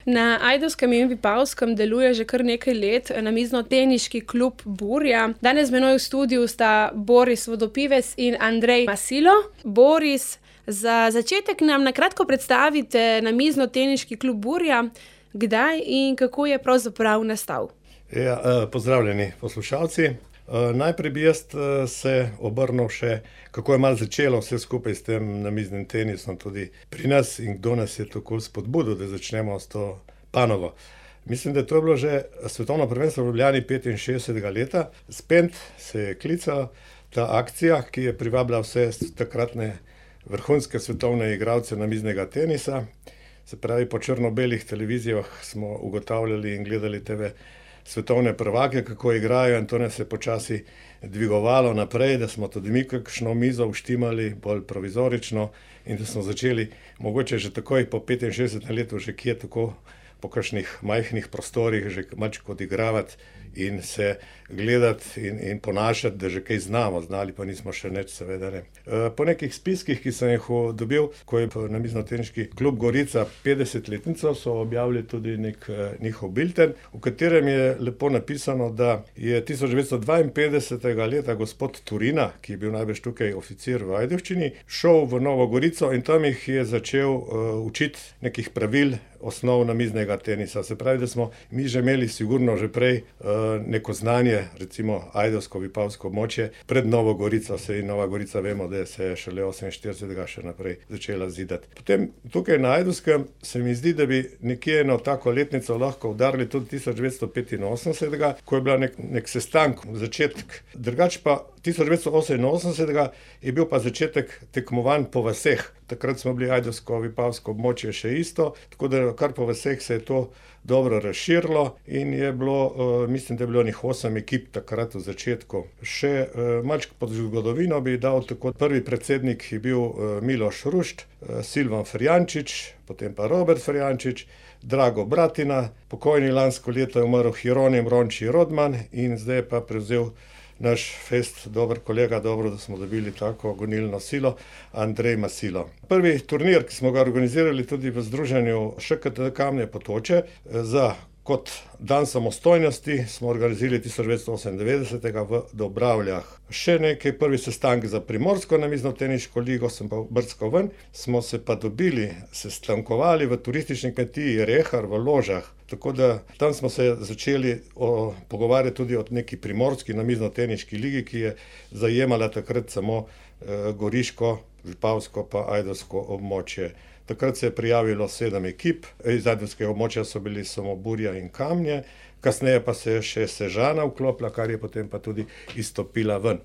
Na Ajdovskem in Vipavskem deluje že kar nekaj let namiznoteniški klub Burja. Danes z menoj v studiu sta Boris Vodopivec in Andrej Masilo. Boris, za začetek nam na kratko predstavite namiznoteniški klub Burja, kdaj in kako je pravzaprav nastal. Pozdravljeni poslušalci. Najprej bi jaz se obrnil še, kako je malo začelo vse skupaj s tem namiznim tenisom tudi pri nas in kdo nas je tako spodbudil, da začnemo s to panovo. Mislim, da to je bilo že svetovno prvenstvo v Ljubljani 65. leta. Spent se je klical ta akcija, ki je privabila vse takratne vrhunske svetovne igralce namiznega tenisa. Se pravi, po črno-belih televizijah smo ugotavljali in gledali TV svetovne prvake, kako igrajo, in to nas je počasi dvigovalo naprej, da smo tudi mi kakšno mizo uštimali, bolj provizorično, in da smo začeli mogoče že takoj po 65. letu že kje tako po kakšnih majhnih prostorih že malčko odigravati in se gledati in ponašati, da že kaj znali pa nismo še nič, seveda ne. Po nekih spiskih, ki sem jih dobil, ko je namiznoteniški klub Gorica 50-letnico, so objavili tudi nek njihov bilten, v katerem je lepo napisano, da je 1952. leta gospod Turina, ki je bil najbrž tukaj oficir v Ajdovščini, šel v Novo Gorico in tam jih je začel učiti nekih pravil osnov namiznega tenisa. Se pravi, da smo mi že imeli sigurno že prej neko znanje, recimo ajdovsko-vipavsko območje, pred Novo Gorico. Saj Nova Gorica vemo, da se je šele 48. še naprej začela zidati. Potem tukaj na Ajdovskem se mi zdi, da bi nekje eno tako letnico lahko udarili tudi 1985. ko je bila nek sestank, začetek. Drugač pa 1988. je bil pa začetek tekmovanj po vaseh. Takrat smo bili ajdovsko-vipavsko območje še isto, tako da kar po vaseh se je to dobro razširilo in je bilo, mislim, da je bilo 8 ekip takrat v začetku. Še malčko pod zgodovino bi dal, tako prvi predsednik je bil Miloš Rušt, Silvan Ferjančič, potem pa Robert Ferjančič, Drago Bratina, pokojni lansko leto je umrl Hieronim Ronči Rodman in zdaj je pa prevzel naš fest, dober kolega, dobro, da smo dobili tako gonilno silo, Andrej Masilo. Prvi turnir, ki smo ga organizirali tudi v združenju ŠKT Kamne Potoče, kot dan samostojnosti smo organizirali 1998. v Dobravljah. Še nekaj, prvi sestank za Primorsko namiznoteniško ligo, sem pa brskal ven, smo se pa dobili, sestankovali v turistični kmetiji Rehar v Ložah. Tako da tam smo se začeli pogovarjati tudi o neki primorski namiznoteniški ligi, ki je zajemala takrat samo goriško, vipavsko pa ajdovsko območje. Takrat se je prijavilo 7 ekip, iz ajdovskega območja so bili samo Burja in Kamnje, kasneje pa se je še Sežana vklopila, kar je potem pa tudi izstopila ven.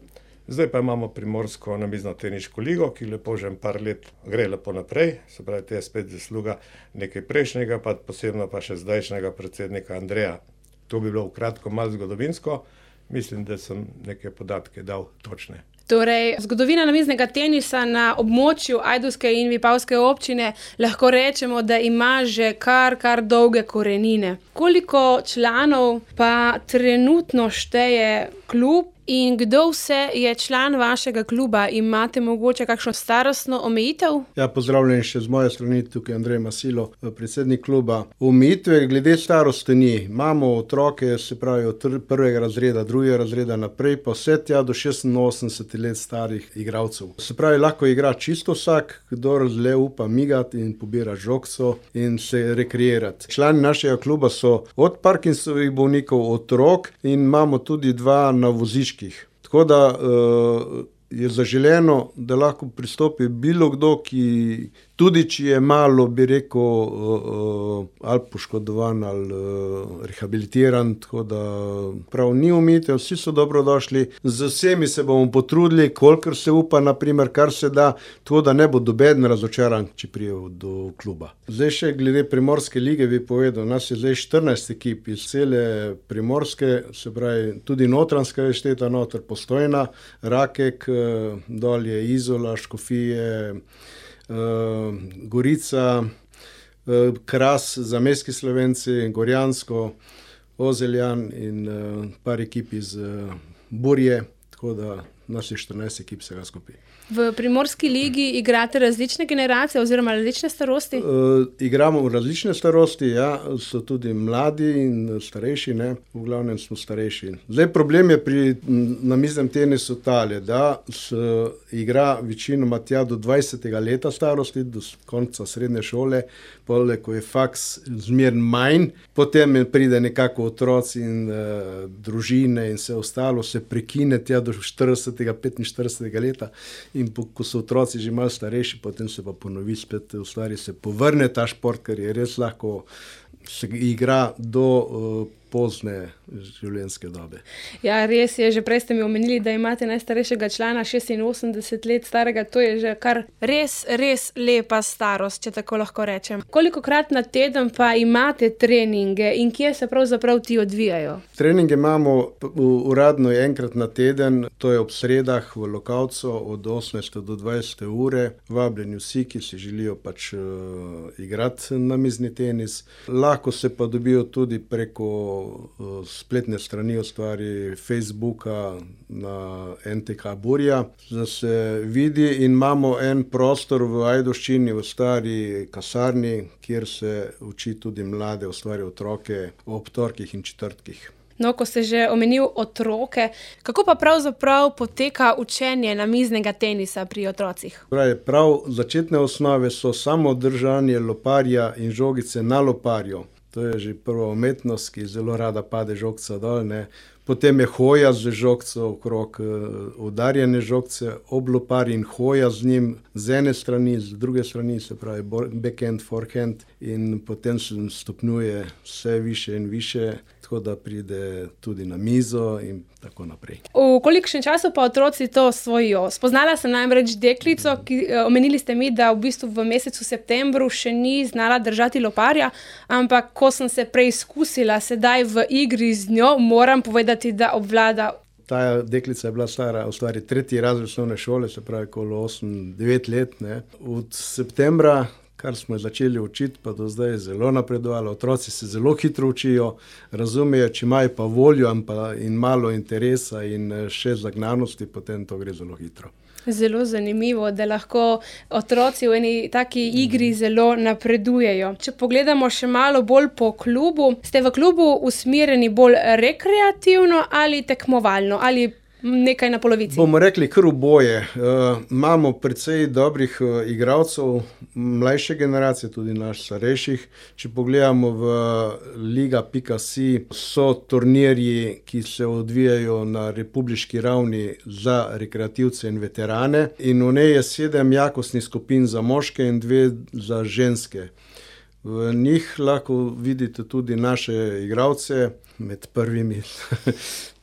Zdaj pa imamo Primorsko namiznoteniško ligo, ki lepo že par let gre lepo naprej, se pravi, to je spet zasluga nekaj prejšnjega, pa posebno pa še zdajšnjega predsednika Andreja. To bi bilo v kratko malo zgodovinsko, mislim, da sem neke podatke dal točne. Torej, zgodovina namiznega tenisa na območju Ajdovske in Vipavske občine lahko rečemo, da ima že kar dolge korenine. Koliko članov pa trenutno šteje klub in kdo vse je član vašega kluba? Imate mogoče kakšno starostno omejitev? Ja, pozdravljen še z moje strani, tukaj Andrej Masilo, predsednik kluba. Omejitve glede starosti ni. Imamo otroke, se pravi od 1. razreda, 2. razreda naprej, pa vse tja do 86 let starih igralcev. Se pravi, lahko igra čisto vsak, kdor le upa migati in pobira žogco in se rekreirati. Člani našega kluba so od Parkinsovih bolnikov, otrok in imamo tudi 2 na voziščih. Tako da je zaželeno, da lahko pristopi bilo kdo, ki tudi če je malo, bi rekel, ali poškodovan ali rehabilitiran, tako da prav ni omejitev, vsi so dobrodošli. Z vsemi se bomo potrudili, kolikor se upa, naprimer, kar se da, tako da ne bo nobeden razočaran, če pride do kluba. Zdaj še glede Primorske lige bi povedal, nas je zdaj 14 ekip iz cele Primorske, se pravi, tudi Notranjska je šteta noter, Postojna, Rakek, dol je Izola, Škofije, Gorica, Kras, zamejski Slovenci, Gorjansko, Ozeljan in par ekip iz Burje, tako da nas je 14 ekip vsega skupaj. V Primorski ligi igrate različne generacije oziroma različne starosti? Igramo v različne starosti, ja, so tudi mladi in starejši, ne, v glavnem smo starejši. Zdaj problem je pri namiznem tenisu tale, da se igra večinoma tja do 20. leta starosti, do konca srednje šole, pole, ko je faks zmer manj, potem pride nekako otroci in družine in vse ostalo se prekine tja do 40. 45. leta in ko so otroci že malo starejši, potem se pa ponovi spet, v stvari se povrne ta šport, ker je res lahko se igra do pozne življenjske dobe. Ja, res je, že prej ste mi omenili, da imate najstarejšega člana 86 let starega, to je že kar res lepa starost, če tako lahko rečem. Kolikokrat na teden pa imate treninge in kje se pravzaprav ti odvijajo? Treninge imamo uradno enkrat na teden, to je ob sredah v Lokavcu od 18. do 20. ure. Vabljeni vsi, ki si želijo pač igrati namizni tenis. Lahko se pa dobijo tudi preko spletne strani, v stvari Facebooka na NTK Burja, da se vidi in imamo en prostor v Ajdovščini, v stari kasarni, kjer se uči tudi mlade, v stvari otroke, ob torkih in četrtkih. No, ko ste že omenil otroke, kako pa pravzaprav poteka učenje namiznega tenisa pri otrocih? Prav začetne osnove so samo držanje loparja in žogice na loparju. To je že prva umetnost, ki zelo rada pade žogca dol, ne. Potem je hoja z žogco okrog, udarjene žogce ob lopar in hoja z njim z ene strani, z druge strani, se pravi backhand, forehand in potem se stopnjuje vse više in više, tako da pride tudi na mizo in tako naprej. V kolikšnem času pa otroci to osvojijo? Spoznala sem namreč deklico, omenili ste mi, da v bistvu v mesecu septembru še ni znala držati loparja, ampak ko sem se preizkusila sedaj v igri z njo, moram povedati, da obvlada. Ta deklica je bila stara, v stvari 3. razred osnovne šole, se pravi okolo 8-9 let, ne. Od septembra, kar smo začeli učiti, pa do zdaj je zelo napredovalo. Otroci se zelo hitro učijo, razumejo, če imajo pa voljo in malo interesa in še zagnanosti, potem to gre zelo hitro. Zelo zanimivo, da lahko otroci v eni taki igri zelo napredujejo. Če pogledamo še malo bolj po klubu, ste v klubu usmerjeni bolj rekreativno ali tekmovalno ali nekaj na polovici? Bomo rekli kar oboje. Imamo precej dobrih igralcev, mlajše generacije, tudi naš starejših. Če pogledamo v liga.si, so turnirji, ki se odvijajo na republiški ravni za rekreativce in veterane. In v njej je 7 jakostnih skupin za moške in 2 za ženske. V njih lahko vidite tudi naše igralce med prvimi.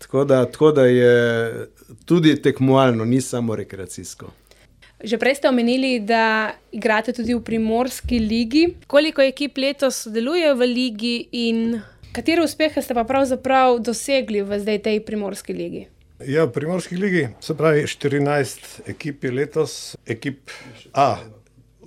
Tako da je tudi tekmovalno, ni samo rekreacijsko. Že prej ste omenili, da igrate tudi v Primorski ligi. Koliko ekip letos sodeluje v ligi in katere uspehe ste pa pravzaprav dosegli v zdaj tej Primorski ligi? Ja, v Primorski ligi, se pravi 14 ekip je letos, ekip A.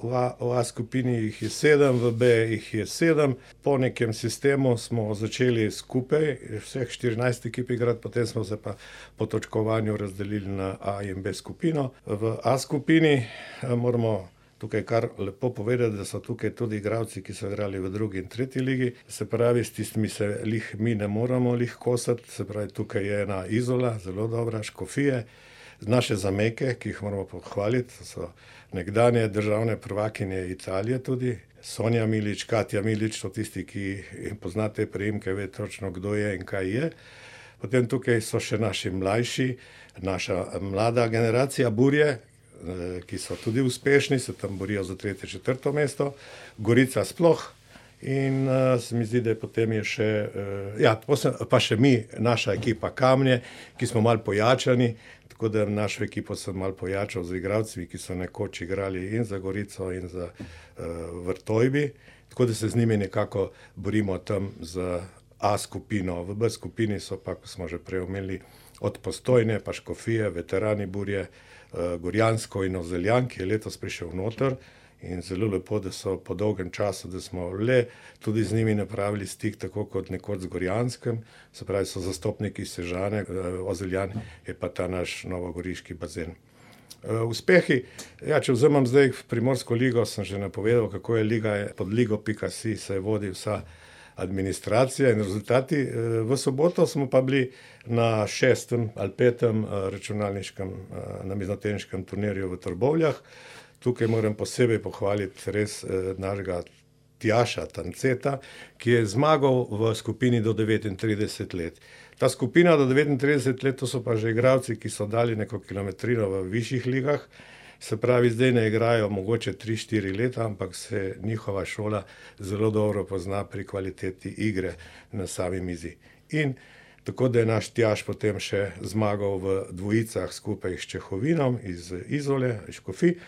V A skupini jih je 7, v B jih je 7. Po nekem sistemu smo začeli skupaj, vseh 14 ekip igrati, potem smo se pa po točkovanju razdelili na A in B skupino. V A skupini moramo tukaj kar lepo povedati, da so tukaj tudi igralci, ki so igrali v 2. in 3. ligi. Se pravi, s tistimi se mi ne moramo kosati, se pravi, tukaj je ena Izola, zelo dobra, Škofije, naše Zameke, ki jih moramo pohvaliti, so nekdanje državne prvakinje Italije tudi, Sonja Milič, Katja Milič, so tisti, ki poznate priimke, ve točno, kdo je in kaj je. Potem tukaj so še naši mlajši, naša mlada generacija Burje, ki so tudi uspešni, se tam borijo za 3., 4. mesto, Gorica sploh. In se mi zdi, da potem je še, pa še mi, naša ekipa Kamnje, ki smo malo pojačani, tako da našo ekipo sem malo pojačal z igralci, ki so nekoč igrali in za Gorico in za Vrtojbi, tako da se z njimi nekako borimo tam za A skupino. V B skupini so pa, ko smo že prej omenili, od Postojne pa Škofije, veterani Burje, Gorjansko in Ozeljan, ki je letos prišel noter in zelo lepo, da so po dolgem času, da smo le tudi z njimi napravili stik, tako kot nekoč z Gorjanskem, se pravi, so zastopniki Sežane, Ozeljan je pa ta naš novogoriški bazen. Uspehi, ja, če vzamem zdaj Primorsko ligo, sem že napovedal, kako je liga, pod ligo.si se vodi vsa administracija in rezultati. V soboto smo pa bili na 6. ali 5. računalniškem namiznoteniškem turnirju v Trbovljah. Tukaj moram posebej pohvaliti res našega Tjaša Tanceta, ki je zmagal v skupini do 39 let. Ta skupina do 39 let, to so pa že igralci, ki so dali neko kilometrino v višjih ligah, se pravi, zdaj ne igrajo mogoče 3-4 leta, ampak se njihova šola zelo dobro pozna pri kvaliteti igre na sami mizi. In tako da je naš Tjaš potem še zmagal v dvojicah skupaj s Čehovinom iz Izole, iz Škofij.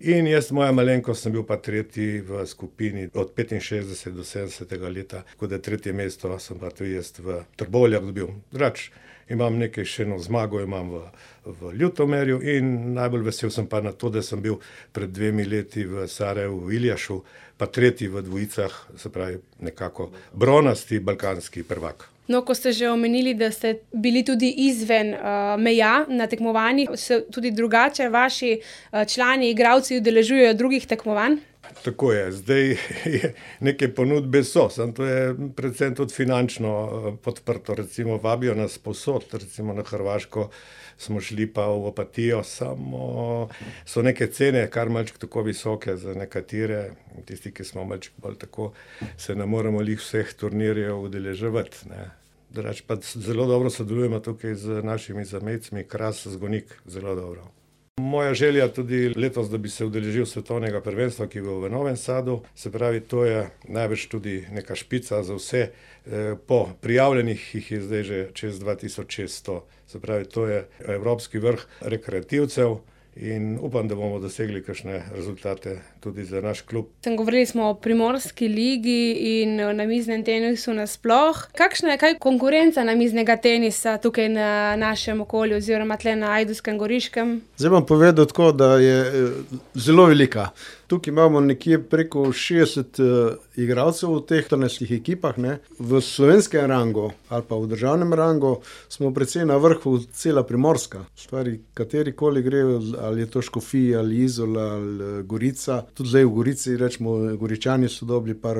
In jaz, moja malenkost, sem bil pa tretji v skupini od 65 do 70 leta, tako da tretje mesto sem pa tudi jaz v Trbovljah dobil. Drugače, imam nekaj še eno zmago, imam v Ljutomerju in najbolj vesel sem pa na to, da sem bil pred 2 leti v Sarajevu, v Iljašu, pa tretji v dvojicah, se pravi nekako bronasti balkanski prvak. No, ko ste že omenili, da ste bili tudi izven meja na tekmovanjih, se tudi drugače vaši člani, igralci udeležujejo drugih tekmovanj? Tako je, zdaj je neke ponudbe so, samo to je predvsem tudi finančno podprto, recimo vabijo nas povsod, recimo na Hrvaško smo šli pa v Opatijo, samo so neke cene kar malček tako visoke za nekatere, tisti, ki smo malček bolj tako, se ne moremo lih vseh turnirjev udeleževati, ne. Drugače pa zelo dobro sodelujemo tukaj z našimi zamejcmi, Kras, Zgonik, zelo dobro. Moja želja tudi letos, da bi se udeležil svetovnega prvenstva, ki bo v Novem Sadu, se pravi, to je največ tudi neka špica za vse, po prijavljenih jih je zdaj že čez 2600, se pravi, to je evropski vrh rekreativcev in upam, da bomo dosegli kakšne rezultate tudi za naš klub. Govorili smo o Primorski ligi in o namiznem tenisu nasploh. Kakšna je kaj konkurenca namiznega tenisa tukaj na našem okolju oziroma tle na Ajdovskem, Goriškem? Zdaj bom povedal tako, da je zelo velika. Tukaj imamo nekje preko 60 igralcev v teh 14 ekipah, ne. V slovenskem rangu ali pa v državnem rangu smo precej na vrhu cela Primorska. Stvari, katerikoli gre, ali je to Škofija, ali Izola, ali Gorica. Tudi zdaj v Gorici, rečemo, Goričani so dobili par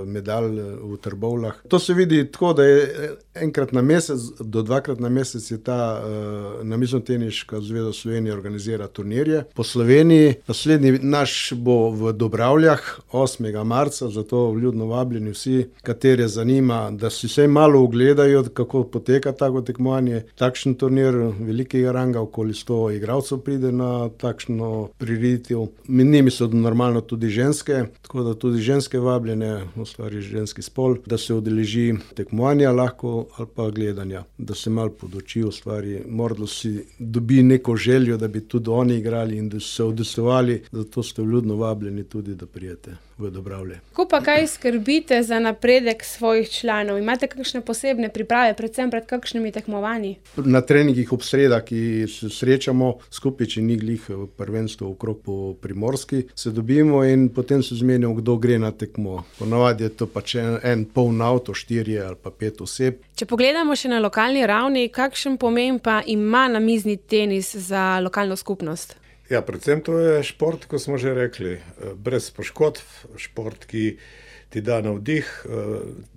medalj v Trbovljah. To se vidi tako, da je enkrat na mesec do 2-krat na mesec je ta namiznoteniška zveza Slovenije organizira turnirje. Po Sloveniji naslednji naš bo v Dobravljah 8. marca, zato vljudno vabljeni vsi, katere zanima, da si vsaj malo ogledajo, kako poteka tako tekmovanje. Takšen turnir velikega ranga, okoli 100 igralcev pride na takšno prireditev. Med njimi so normalno tudi ženske, tako da tudi ženske vabljene, v stvari ženski spol, da se udeleži tekmovanja lahko ali pa gledanja, da se malo poduči v stvari. Morda si dobi neko željo, da bi tudi oni igrali in da se udestovali, zato ste vljudno vabljeni tudi, da prijete v Dobravlje. Kako pa kaj skrbite za napredek svojih članov? Imate kakšne posebne priprave, predvsem pred kakšnimi tekmovanji? Na treningih ob sredah, ki se srečamo skupaj, če ni glih prvenstvo okrog po Primorski, se dobimo in potem se zmenimo, kdo gre na tekmo. Ponavadi je to pač en poln avto, 4 ali pa 5 oseb. Če pogledamo še na lokalni ravni, kakšen pomen pa ima namizni tenis za lokalno skupnost? Ja, predvsem to je šport, kot smo že rekli, brez poškodb, šport, ki ti da navdih,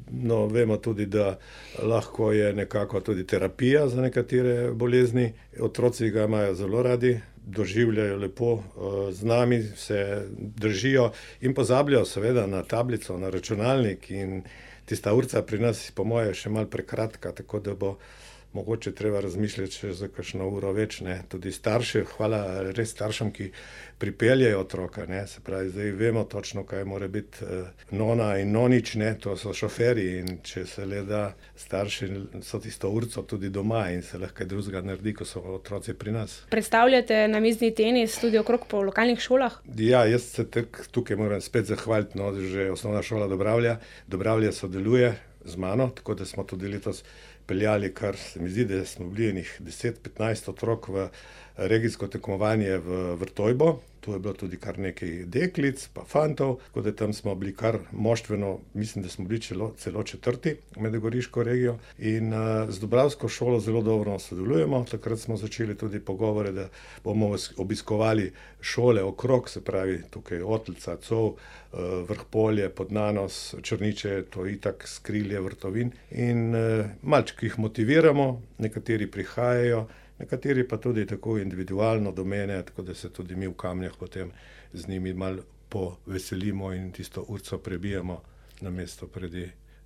no, vemo tudi, da lahko je nekako tudi terapija za nekatere bolezni. Otroci ga imajo zelo radi, doživljajo lepo, z nami se držijo in pozabljajo seveda na tablico, na računalnik in tista urca pri nas, po moje, še malo prekratka, tako da bo mogoče treba razmišljati še za kakšno uro več, ne. Tudi starši, hvala res staršem, ki pripeljejo otroka, ne. Se pravi, zdaj vemo točno, kaj mora biti nona in nonič, ne, to so šoferji in če se le da, starši so tisto urco tudi doma in se lahko kaj drugega naredi, ko so otroci pri nas. Predstavljate namizni tenis tudi okrog po lokalnih šolah? Ja, jaz se tukaj moram spet zahvaliti, no, že osnovna šola Dobravlja. Dobravlja sodeluje z mano, tako da smo tudi letos peljali, kar se mi zdi, da smo bili enih 10-15 otrok v regijsko tekmovanje v Vrtojbo. to je bilo tudi kar nekaj deklic, pa fantov, tako da tam smo bili kar moštveno, mislim, da smo bili celo četrti med goriško regijo in z Dubravsko šolo zelo dobro sodelujemo. Takrat smo začeli tudi pogovore, da bomo obiskovali šole okrog, se pravi tukaj Otlca, Cov, Vrhpolje, Podnanos, Črniče, to itak Skrilje, Vrtovin in malčki jih motiviramo, nekateri prihajajo, nekateri pa tudi tako individualno do mene, tako da se tudi mi v Kamnjah potem z njimi malo poveselimo in tisto urco prebijemo na mesto pred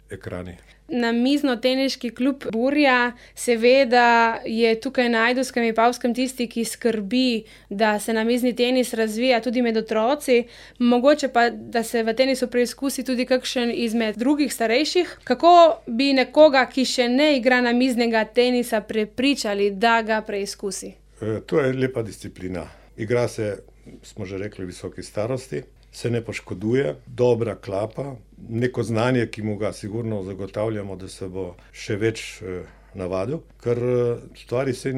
ekrani. Namiznoteniški klub Burja seveda je tukaj na Ajdovskem in Vipavskem tisti, ki skrbi, da se namizni tenis razvija tudi med otroci, mogoče pa, da se v tenisu preizkusi tudi kakšen izmed drugih starejših. Kako bi nekoga, ki še ne igra namiznega tenisa, prepričali, da ga preizkusi? To je lepa disciplina. Igra se, smo že rekli, v visoki starosti. Se ne poškoduje, dobra klapa, neko znanje, ki mu ga sigurno zagotavljamo, da se bo še več navadil, ker stvari se,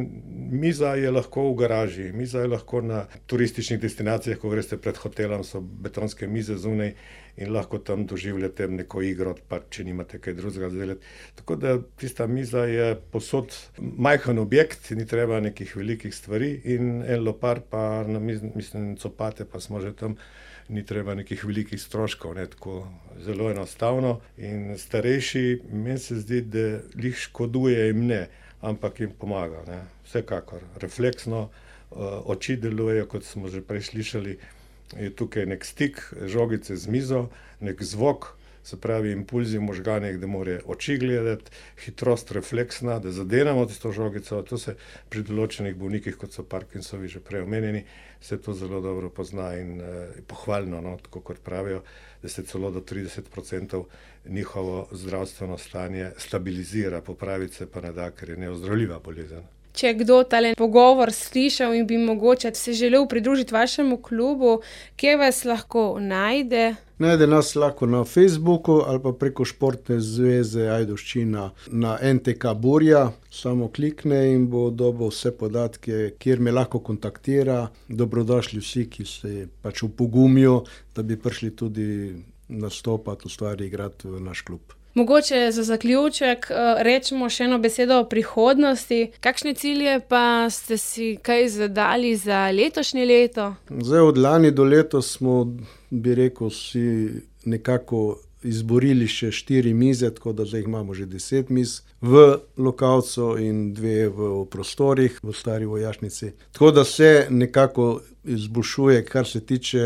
miza je lahko v garaži, miza je lahko na turističnih destinacijah, ko greste pred hotelom, so betonske mize zunaj in lahko tam doživljate neko igro, pa če nimate kaj drugega delati. Tako da tista miza je posod majhen objekt, ni treba nekih velikih stvari in en lopar pa mislim copate, pa smo že tam, ni treba nekih velikih stroškov, ne, tako zelo enostavno. In starejši, meni se zdi, da jih škoduje jim ne, ampak jim pomaga, ne. Vsekakor, refleksno, oči delujejo, kot smo že prej slišali, je tukaj nek stik žogice z mizo, nek zvok, se pravi impulzi v možganih, da mora oči gledati, hitrost refleksna, da zadenemo tisto žogico. To se pri določenih bolnikih, kot so Parkinsovi že prej omenjeni, se to zelo dobro pozna in pohvalno, no, tako kot pravijo, da se celo do 30% njihovo zdravstveno stanje stabilizira, popraviti se pa ne da, ker je neozdravljiva bolezen. Če kdo tale pogovor slišal in bi mogoče se želel pridružiti vašemu klubu, kje vas lahko najde? Najde nas lahko na Facebooku ali pa preko Športne zveze Ajdovščina na NTK Burja. Samo klikne in bo dobil vse podatke, kjer me lahko kontaktira. Dobrodošli vsi, ki se pač upogumijo, da bi prišli tudi nastopati, ustvari igrati v naš klub. Mogoče za zaključek rečemo še eno besedo o prihodnosti. Kakšne cilje pa ste si kaj zadali za letošnje leto? Zdaj od lani do letos smo, bi rekel, si nekako izborili še 4 mize, tako da zdaj imamo že 10 miz v Lokavcu in 2 v prostorih v stari vojašnici. Tako da se nekako izboljšuje, kar se tiče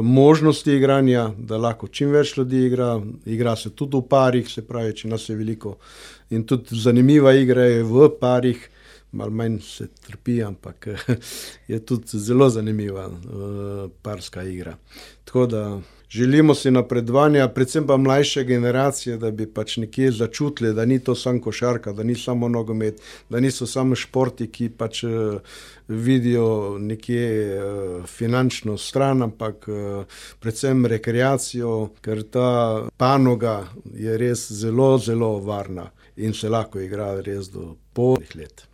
možnosti igranja, da lahko čim več ljudi igra se tudi v parih, se pravi, če nas je veliko. In tudi zanimiva igra je v parih, malo manj se trpi, ampak je tudi zelo zanimiva parska igra. Tako da želimo si napredovanja, predvsem pa mlajše generacije, da bi pač nekje začutili, da ni to samo košarka, da ni samo nogomet, da niso samo športi, ki pač vidijo nekje finančno stran, ampak predvsem rekreacijo, ker ta panoga je res zelo, zelo varna in se lahko igra res do polnih let.